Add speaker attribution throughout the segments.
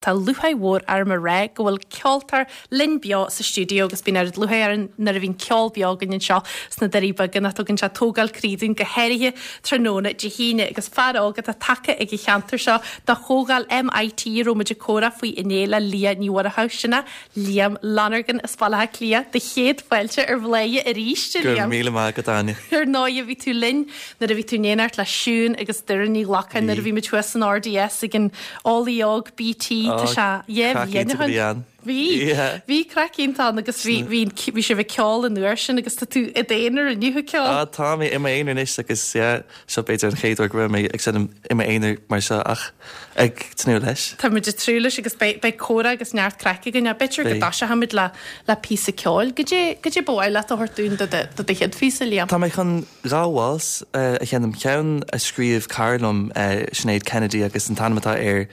Speaker 1: Tá lúcháir mhór orm a rá go bhfuil ceoltóir linn beo sa stiúideo agus bíonn oiread lúcháir orainn nuair a bhíonn ceol beo againn anseo sna Doirí Beaga nach dtugann sé tógáil croí dúinn go háirithe tráthnóna Dé hAoine agus fear óg atá tagtha ag an cheantar seo do chomhdháil MIT a raibh muid ag comhrá faoi inné le Liadh Ní Mhuireadhaigh, sin é Liam Lonergan as Baile Átha Cliath, do chéad fáilte ar Bhladhaire arís, a
Speaker 2: Go raibh
Speaker 1: Liam.
Speaker 2: míle maith agat, Áine.
Speaker 1: Ar ndóigh, bhí tú linn nuair a bhí tú in éineacht le Siún agus Doireann Ní Ghlacáin nuair a bhí muid thuas san RDS ag an Eolaí Óg BT, tá sé dhá
Speaker 2: Craic
Speaker 1: bhliain ó
Speaker 2: iontach a
Speaker 1: shin.
Speaker 2: bhí ann.
Speaker 1: Bhí,
Speaker 2: Yeah.
Speaker 1: bhí craic iontach ann agus bhí, bhí, bhí sibh ag ceol an uair sin agus tá tú i d'aonar inniu ag ceol.
Speaker 2: Ah, tá mé i m'aonar anois agus yeah, seo b'fhéidir an chéad uair go raibh mé ag seinm i m'aonar mar seo ach ag tnúth leis.
Speaker 1: Tá muid ag tnúth leis agus beidh, beidh comhrá agus neart craic againn. B'fhéidir go
Speaker 2: Beidh.
Speaker 1: dtoiseochaimid le, le píosa ceoil. Goidé, goidé ba mhaith leat a thabhairt dúinn do do, do do chéad phíosa, Liam?
Speaker 2: Tá mé chun 2 waltz a sheinm, ceann a scríobh cara liom, Sinéad Kennedy agus an t-ainm atá air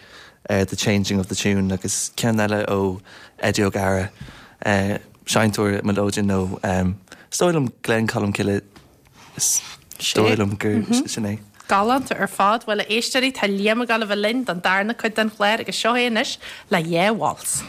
Speaker 2: The Changing of the Tune agus ceann eile ó Eddie O'Gara, seinnteoir mileoidean nó is dóigh liom Gleann Cholm Cille, is dóigh liom gur sin é.
Speaker 1: Galánta ar fad. Bhuel, a éisteoirí, tá Liam ag dul a bheith linn don darna cuid den chlár agus seo é anois le dhá waltz.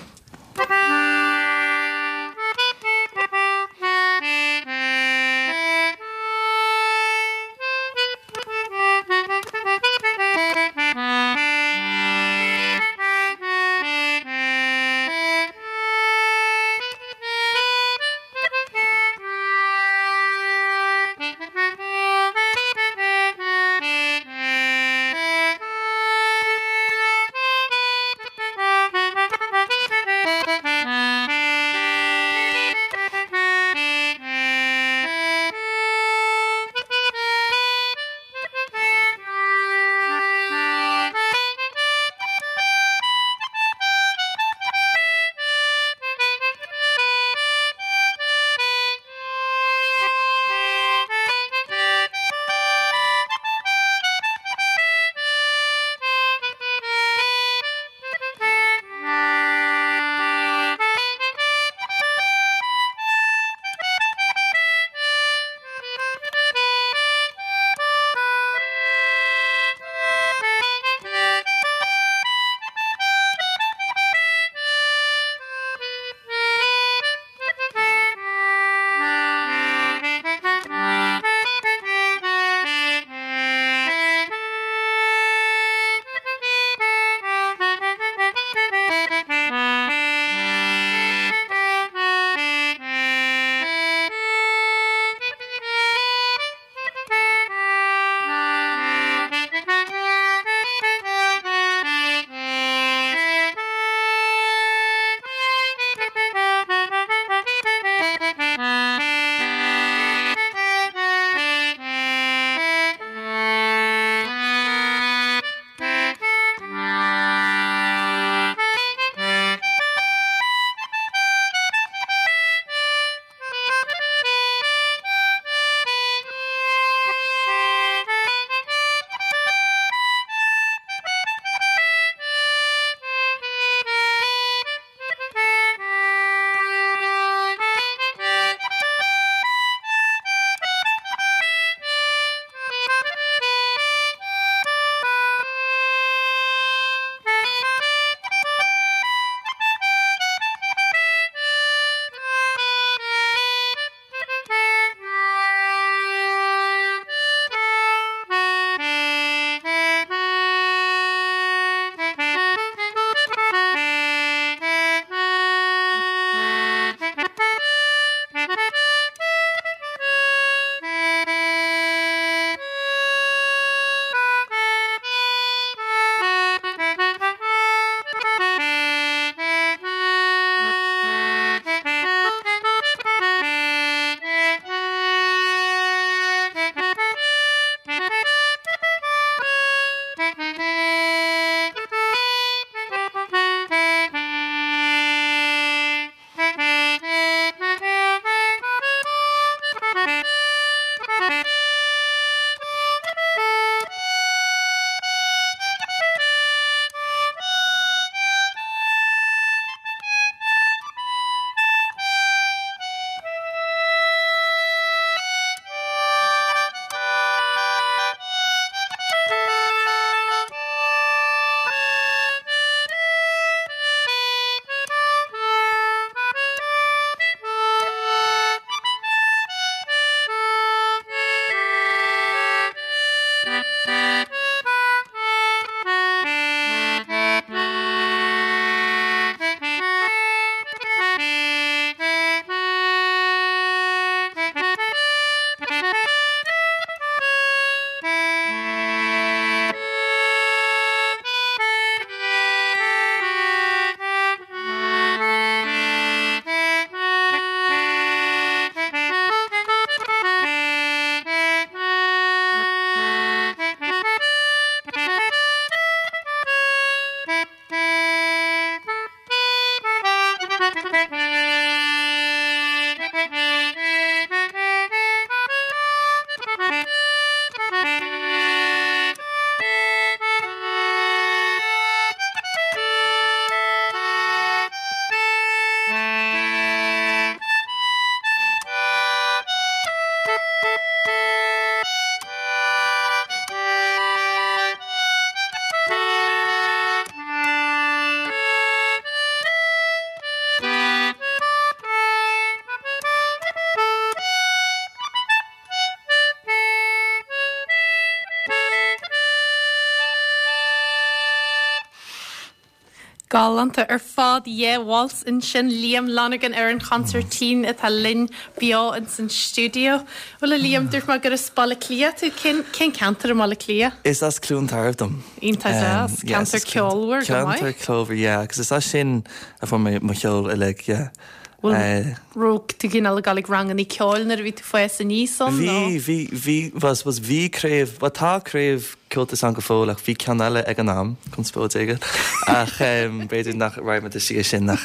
Speaker 1: Galánta ar fad, yeah, Waltz ansin, Liam Lonergan ar an chonsairtín atá linn beo ins an stiúideo. Bhuel a Liam, dúirt mé gur as Baile Átha Cliath tú, cén, cén ceantar i mBaile Átha Cliath?
Speaker 2: Is as Cluain Tairbh dom.
Speaker 1: Iontach deas, ceantar ceolmhar go maith.
Speaker 2: Ceantar ceolmhar, yeah, agus is as sin a fuair mé mo cheol uilig, yeah.
Speaker 1: Bhfuil, raibh tú cineál ag dul ag rangannaí ceoil nuair a bhí tú ag fás aníos ann
Speaker 2: nó? Bhí, bhí, bhí, well I suppose bhí craobh, bhuel tá craobh Comhaltas ann go fóill ach bhí ceann eile ag an am, conspóid éigin, ach b'fhéidir nach raghaidh muid isteach sin ach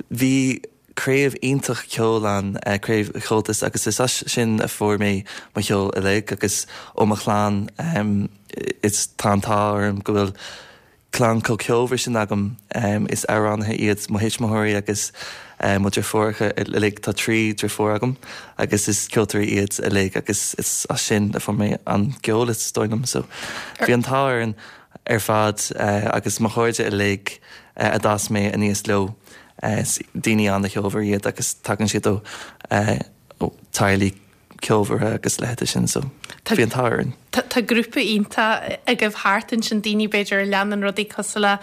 Speaker 2: bhí craobh iontach ceoil ann, craobh Chomhaltas agus is as sin a fuair mé mo cheol uilig agus ó mo chlann is tá an t-ádh orm go bhfuil clann chomh ceolmhar sin agam. Is amhránaithe iad mo thuismitheoirí agus mo dheirfiúracha uilig, tá 3 deirfiúr agam agus is ceoltóirí iad uilig agus is as sin a fuair mé an ceol is dóigh liom. So bhí an t-ádh orainn ar fad agus mo chairde uilig a d'fhás mé aníos leo, is daoine an-cheolmhar iad agus tagann siad ó teaghlaigh ceolmhara agus a leithéid sin so bhí an t-ádh orainn.
Speaker 1: Tá grúpa iontach agaibh thart ansin, daoine b'fhéidir a leanann rudaí cosúil le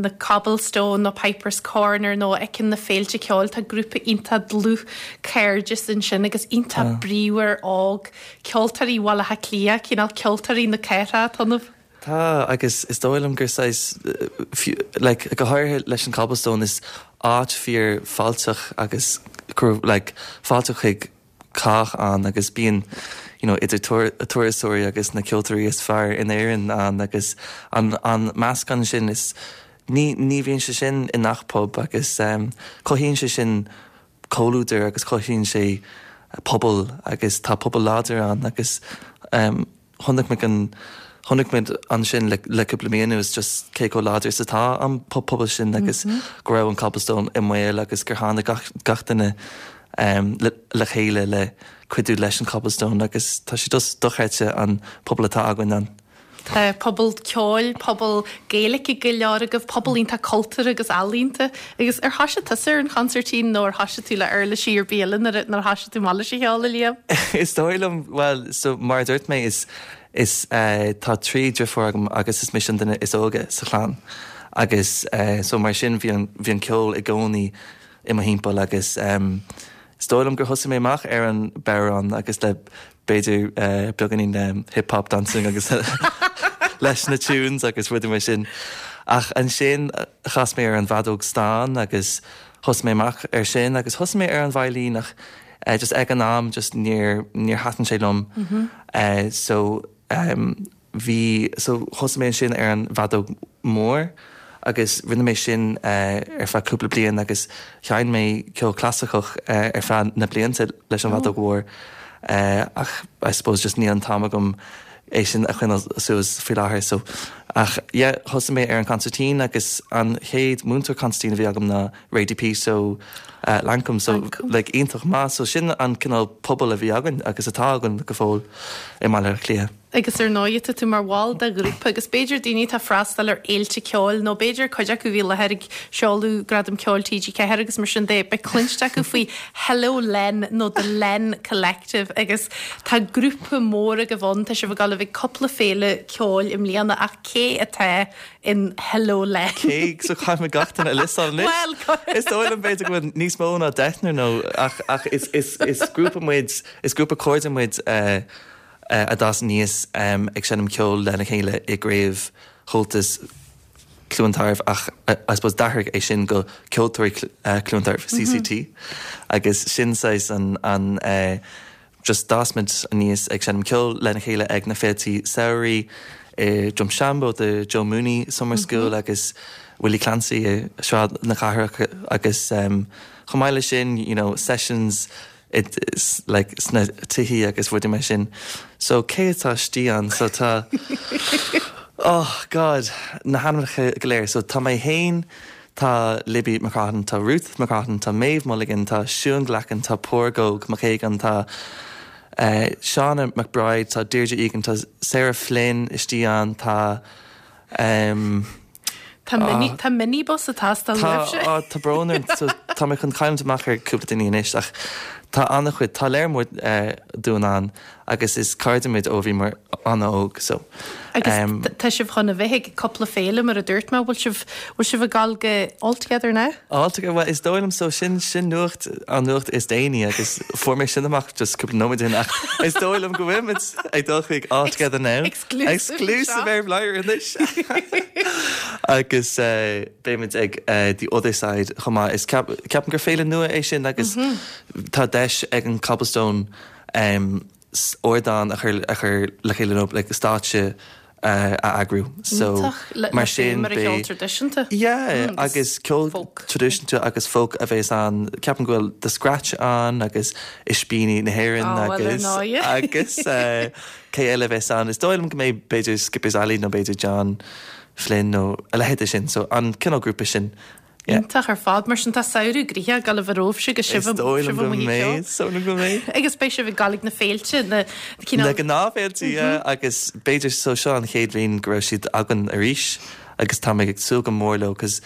Speaker 1: na Cobblestone nó Pipers Corner nó a fheiceann na féilte ceoil, tá grúpa iontach dlúth cairdeas ansin agus iontach bríomhar óg, ceoltóirí Bhaile Átha Cliath, cineál ceoltóirí na cathrach atá ionaibh.
Speaker 2: Tá, agus is dóigh liom gur saghas, like, go háirithe leis an Cobblestone, is áit fíor fáilteach agus like, fáilteach chuig cách ann agus bíonn you know, idir turasóirí agus na ceoltóirí is fearr in Éirinn ann agus an, an meascán sin is, ní, ní bhíonn sé sin i ngach pub agus um, cothaíonn sé sin comhluadar agus cothaíonn sé pobal agus tá pobal láidir ann agus um, Chonaic muid an, chonaic muid ansin le, le cúpla mí anuas just cé chomh láidir is atá an pobal sin agus go raibh an Cobblestone i mbaol agus gur tháinig gach, gach duine le, le chéile le cuidiú leis an Cobblestone agus tá sé just dochreidte an pobal atá againn ann.
Speaker 1: Tá pobal ceoil, pobal Gaeilge go leor agaibh, pobal iontach cultúrtha agus ealaíonta. Agus ar thoisigh tusa ar an chonsairtín nó ar thoisigh tú le uirlisí ar bith eile nuair a thoisigh tú amach leis an cheol, a Liam?
Speaker 2: Is dóigh liom, bhuel, so mar a dúirt mé, is, is eh tá 3 driofúr agam agus is mise an duine is óige sa chlann agus eh so mar sin bhí an, bhí an ceol i gcónaí i mo thimpeall agus em is dóigh liom gur thosaigh mé amach ar an bodhrán agus le b'fhéidir beagáinín hip hop dancing agus leis na tunes agus rudaí mar sin. Ach ansin chas mé ar an bhfeadóg stáin agus thosaigh mé amach ar sin agus thosaigh mé ar an veidhlín ach just ag an am just níor níor thaitin sé liom. So Bhí, so thosaigh mé ansin ar an bhfeadóg mhór agus rinne mé sin ar feadh cúpla bliain agus sheinn mé ceol clasaiceach ar feadh na blianta leis an bhfeadóg mhór ach I suppose just níl an t-am agam é sin a choinneáil suas faoi láthair so ach yeah thosaigh mé ar an consairtín agus an chéad múinteoir consairtín a bhí agam ná Ray DePeace ó Lankum so like iontach maith so sin an cineál pobal a bhí againn agus atá againn go fóill i mBaile Átha Cliath.
Speaker 1: Agus ar ndóigh tá tú mar bhall de ghrúpa agus b'fhéidir daoine atá ag freastal ar fhéilte ceoil nó b'fhéidir cuid acu a bhí i láthair ag seoladh Gradam Ceoil TG4 agus mar sin de, beidh cluinste acu faoi Hello Len nó The Len Collective agus tá grúpa mór agaibh ann, tá sibh ag dul a bheith ag cúpla féile ceoil i mbliana ach cé atá in Hello Len?
Speaker 2: Cé, so caithfidh mé gach duine a liostáil anois?
Speaker 1: Bhuel,
Speaker 2: Is dóigh liom b'fhéidir go bhfuil níos mó ná deichniúr nó ach ach is is is grúpa muid, is grúpa cairde muid eh, a d'fhás aníos ag seinm ceoil lena chéile i gCraobh Chomhaltas Chluain Tairbh ach I suppose d'athraigh é sin go Ceoltóirí Chluain Tairbh, CCT, agus sin saghas an an just d'fhás muid aníos ag seinm ceoil lena chéile ag na féiltí samhraidh i Drumshanbo, the Joe Mooney Summer School agus Willie Clancy i Sráid na Cathrach agus chomh maith leis sin you know sessions like sna tithí agus rudaí mar sin. So cé atá istigh ann? So tá oh God na hainmneacha go léir. So tá mé fhéin, tá Libby McCrohan, tá Ruth McCrohan, tá Maeve Mulligan, tá Siún Glackin, tá Pádraig Óg Mac Aogáin, tá eh Shauna McBride, tá Deirdre Egan, tá Sarah Flynn istigh ann, tá em
Speaker 1: Tá mini, tá minibus ag teastáil
Speaker 2: uaibhse. Tá, tá brón orm, so tá mé chun cailliúint amach ar cúpla duine anois ach. tá an-chuid, tá léar mór dúinn ann agus is cairde muid ó bhíomar an-óg so.
Speaker 1: Agus tá sibh chun a bheith ag cúpla féile mar a dúirt mé, bhfuil sibh, bhfuil sibh ag gabháil go All Together Now?
Speaker 2: All Together, bhuel is dóigh liom so, sin, sin nuacht, an nuacht is déanaí agus fuair mé sin amach just cúpla nóiméad ó shin ach is dóigh liom go bhfuil muid ag dul chuig All Together Now.
Speaker 1: Exclusive.
Speaker 2: Exclusive ar Bhladhaire anois! Agus beidh muid ag The Other Side chomh maith. Is ceapaim gur féile nua é sin agus tá deis ag an Cobblestone ardán a chur a chur le chéile nó like stáitse a eagrú.
Speaker 1: So mar sin beidh ceol traidisiúnta.
Speaker 2: Yeah, agus ceol traidisiúnta agus folk a bheas ann. Ceapaim go bhfuil The Scratch ann agus Ispíní na hÉireann agus agus cé eile a bheas ann? Is dóigh liom go mbeidh b'fhéidir Skipper's Alley nó b'fhéidir John Flynn nó a leithéid de sin. So an cineál grúpa sin.
Speaker 1: Yeah. Iontach ar fad. Mar sin tá samhradh gnoitheach ag dul a bheith romhaibhse agus sibh
Speaker 2: Is dóigh liom go mbeidh, is dóigh liom go mbeidh.
Speaker 1: Agus beidh sibh ag gabháil ag na féilte, na
Speaker 2: cineál. Na gnáthfhéilte, yeah, agus b'fhéidir so seo an chéad bhliain go raibh siad againn arís agus tá mé ag súil go mór leo 'cause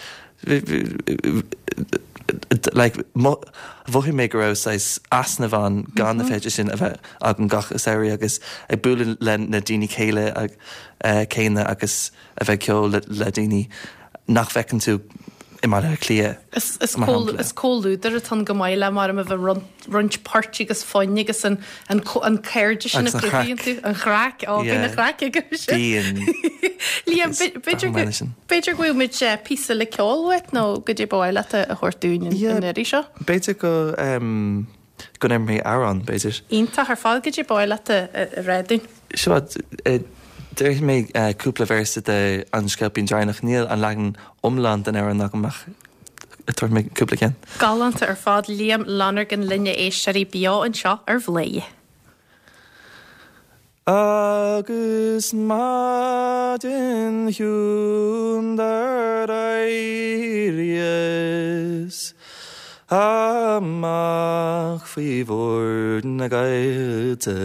Speaker 2: like mhothaigh mé go raibh saghas easnamh ann gan na féilte sin a bheith againn gach samhradh agus ag bualadh le na daoine céile céanna agus a bheith ag ceol le daoine nach bhfeiceann tú i mBaile Átha Cliath,
Speaker 1: Is mar shampla. Is comhluadar atá ann go maith le mar a bheith roinnt poirt agus foinn agus an an cairde sin a chruthaíonn tú. An chraic, ó bíonn an chraic
Speaker 2: agaibhse. Bíonn.
Speaker 1: Liam, b'fhéidir go b'fhéidir go bhfaighidh muid píosa le ceol uait nó goidé ba mhaith leat a thabhairt dúinn an iarraidh seo?
Speaker 2: B'fhéidir go go ndéarfaidh mé amhrán, b'fhéidir.
Speaker 1: Iontach ar fad, goidé ba mhaith leat a rá dúinn?
Speaker 2: Seo, déarfaidh mé cúpla véarsa de An Sceilpín Draighneach. Níl an leagan iomlán den amhrán agam ach tabharfaidh mé cúpla ceann.
Speaker 1: Galánta ar fad, Liam Lonergan linn a éisteoirí beo anseo ar Bhladhaire.
Speaker 2: Agus maidin chiúin dár éiríos amach faoi bhord na gcaillte.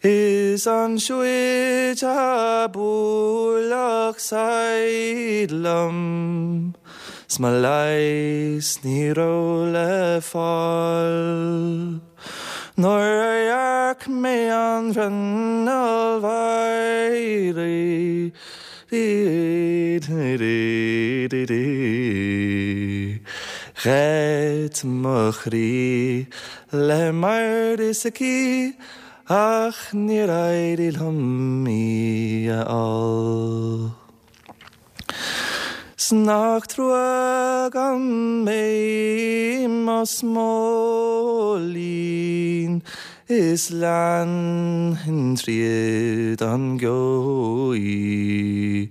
Speaker 2: Is ansiúd a buaileadh saighead liom 's mo leigheas ní raibh le fáil. Nuair a dhearc mé an bhruinneall mheidhreach Gheit mo chroí le m'airde aici ach níor éirigh liom í a fháil. 'S nach trua gan mé i mo smóilín is leanfainn tríd an gceo í.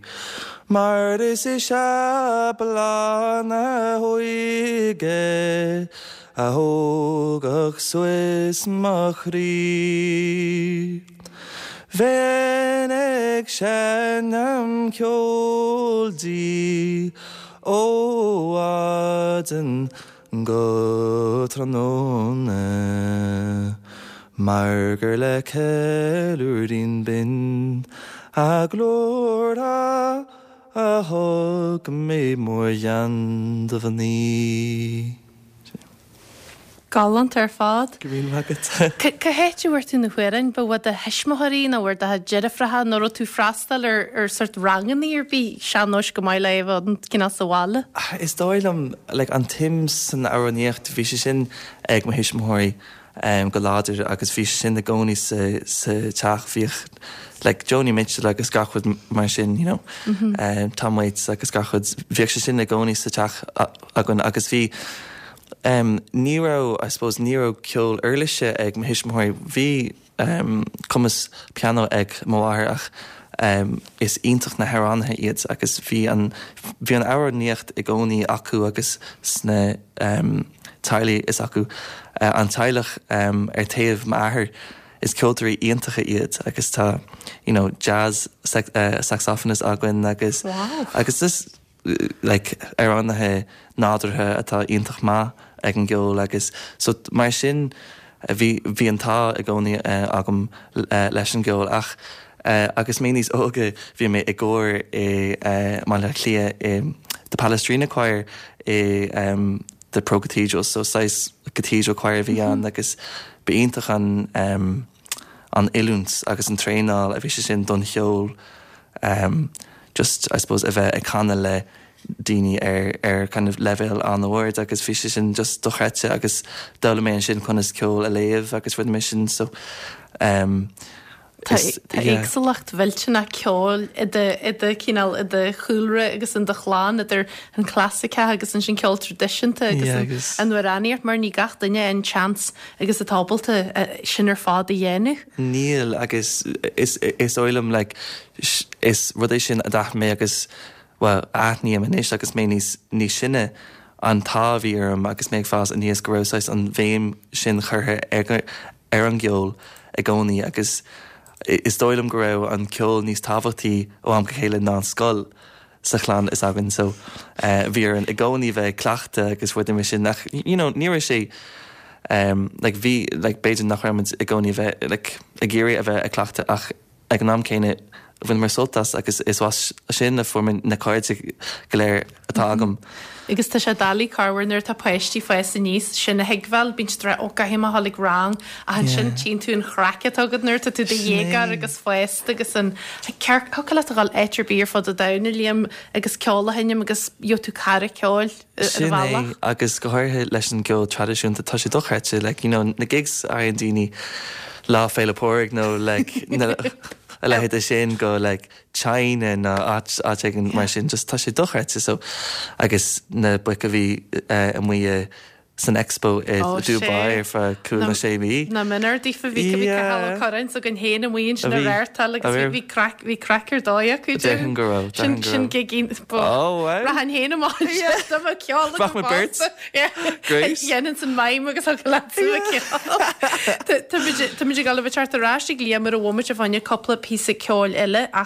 Speaker 2: Mar is ise bláth na hóige a thógfadh suas mo chroí. Bheinn ag seinm ceoil di ó mhaidin go tráthnóna mar gur le ceiliúirín binn a glór a thug mé mórghean do mhnaoi.
Speaker 1: Galánta ar fad.
Speaker 2: Go raibh míle maith agat.
Speaker 1: Cá háit a bhfuair tú na hamhráin? Ba ó do thuismitheoirí nó ó do dheirfiúracha nó raibh tú freastal ar ar sort rangannaí ar bith sean-nóis go maith le é a bheith ann cineál sa bhaile?
Speaker 2: Is dóigh liom, like, an tsuim san amhránaíocht, bhí sé sin ag mo thuismitheoirí go láidir agus bhí sé sin i gcónaí sa sa teach. Bhíodh like Joni Mitchell agus gach rud mar sin, you know, Tom Waits agus gach rud, bhíodh sé sin i gcónaí sa teach againn agus bhí Em, ní raibh, I suppose, ní raibh ceol uirlise ag mo thuismitheoirí. Bhí, em, cumas pianó ag mo mháthair ach, em, is iontach na hamhránaithe iad agus bhí an, bhí an amhránaíocht i gcónaí acu agus sna, em, teaghlaigh is acu. Eh, an teaghlach, em, ar taobh m'athair, is ceoltóirí iontacha iad agus tá, you know, jazz sax, eh, saxophonist againn agus,
Speaker 1: Wow.
Speaker 2: agus just, like amhránaithe nádúrtha atá iontach maith ag an gceol agus so mar sin bhí bhí an t-ádh i gcónaí agam leis an gceol ach agus mé níos óige bhí mé i gcór i mBaile Átha Cliath i The Palestrina Choir i. the Pro Cathedral so saghas cathedral choir a bhí ann agus b'iontach an um, an oiliúint agus an traenáil a bhí sé sin don cheol um, just I suppose a bheith ag canadh le daoine ar ar kind of leibhéal an-ard agus bhí sé sin just dochreidte agus d'fhoghlaim mé ansin conas ceol a léamh agus rudaí mar sin so um,
Speaker 1: Tá éagsúlacht mhillteanach ceoil i do i do chineál i do chúlra agus in do chlann idir an clasaiceach agus ansin ceol traidisiúnta agus an amhránaíocht mar ní gach duine an seans agus atá ábalta sin ar fad a dhéanamh.
Speaker 2: Níl agus is is dóigh liom like is rud é sin a d'aithin mé agus bhuel aithním anois agus mé níos níos sine an t-ádh a bhí orm agus mé ag fás aníos go raibh saghas an bhéim sin curtha ar ar an gceol i gcónaí agus is dóigh liom go raibh an ceol níos tábhachtaí ó am go chéile ná an scoil sa chlann is againn so bhí orainn i gcónaí bheith ag cleachtadh agus rudaí mar sin ach you know ní raibh sé like bhí like b'fhéidir nach raibh muid i gcónaí a bheith like ag iarraidh a bheith ag cleachtadh ach Ag an am céanna, bhaineamar sult as agus is as sin a fuair mé na cairde go léir atá agam.
Speaker 1: Agus tá sé doiligh corruair nuair atá páistí ag fás aníos sin a thuigbheáil, bíonn siad ag rá 'ó caithfidh mé a dhul ag rang' ach ansin tchíonn tú an chraic atá agat nuair atá tú i do dhéagóir agus fásta agus an ceart, thiocfadh leat a dhul áit ar bith ar fud an domhain a Liam agus ceol a sheinm agus gheobhaidh tú cara ceoil.
Speaker 2: Sin é, agus go háirithe leis an gceol traidisiúnta, tá sé dochreidte, like, you know, na gigs a fhaigheann daoine Lá Féile Pádraig nó like, na, a leithéid de sin go like China nó áit, áit éigin mar sin, just tá sé dochreidte, so, agus na boic a bhí eh, amuigh i san Expo i Dubai ar feadh cúig nó sé mhí.
Speaker 1: Nach méanar daofa bhí bhí Cathal Ó Curráin s'againn féin amuigh ansin ag reáchtáil agus bhí craic bhí craic ar dóigh acu.
Speaker 2: Déarfainn go raibh.
Speaker 1: Sin sin gig Oh wow. Rachainn féin amach ansin dá mbeadh ceol agam
Speaker 2: Rachaidh muid beirt. Great.
Speaker 1: Dhéanfainnse an mime agus thiocfadh leatsa a ceol. Táimid ag dul a bheith ag teacht ar ais ag Liam ar an bhomaite fá choinne cúpla píosa ceoil eile ach.